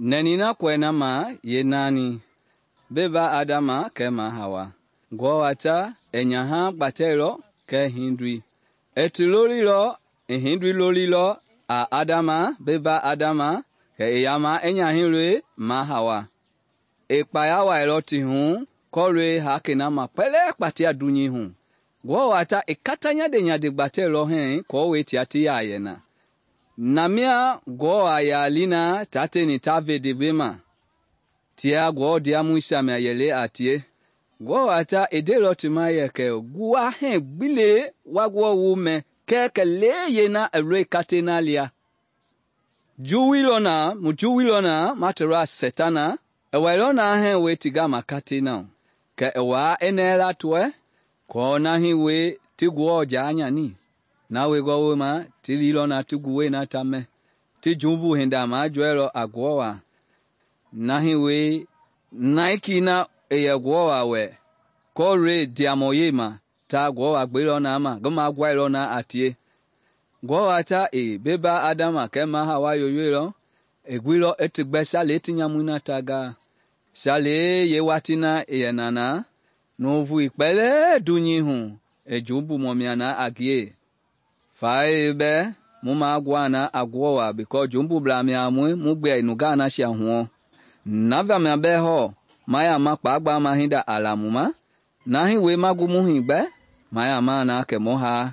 Nɛni na kɔɛ na ma yeenaani, beba Adama kɛɛ ma Hawa. Ngewɔ wa ta i nyaha gbatɛilɔ kɛɛ hindoi. I ti lolilɔ, i hindoi lolilɔ a Adama, beba Adama, kɛ i yama i nyahɛi ma Hawa. I kpaya wailɔ ti hu kɔlɔi hakei na ma kpɛlɛɛ kpatia dunyei hu. Ngewɔ wa ta i kata nyande gbatɛilɔ hɛɛ aako tia ti yaa yɛ na. Na mia Ngewɔ a yaa li na taa tieni ta ve ndewei ma, tia Ngewɔ ndiamɔisia mia yɛlei a tie. Ngewɔ wa ta i ndeilɔ ti ma yɛ kɛ wu wa hɛɛ gbi le wa Ngewɔ woo mɛ kɛɛ kɛlee yeena i lɔi katei na lia. Mu juwuilɔ na ma tɔlɔ a Sɛtana, i wailɔ na hɛɛ wei ti gama katei na hu. Kɛ i waa i nɛɛ latɔɛ kɔɔ na hii wei ti Ngewɔ jaa nyani. Na wengɔ wooma ti liilɔ na ti nguwɛi na ta mɛ. Ti jumbu hinda majɔɛilɔ a Ngewɔ wa. Na hii wei naikii na i yɛ Ngewɔ wa wɛ kɔlɔi ndiamɔyɛi ma ta Ngewɔ wa gbeilɔ na ma, ngi maguailɔ na a tie. Ngewɔ wa ta i beba Adama kɛɛ ma Hawa yoyoilɔ, i guilɔ i ti gbɛ salei ti nyamui na ta gaa. Salei yeewatii na i yɛ na nuuvui kpɛlɛɛ dunyei hu i jumbumɔ mia na a ngie. Fae bɛɛ mu magua na a Ngewɔ wa because jumbublaa mia a mue mu gbɛe nungaa nasia huɔ. Na vamia bɛɛ hɔɔ ma yama kpagbama hinda a la mu ma, na hii wei ma gu mu hii gbɛ, ma yama na kɛ mu haa.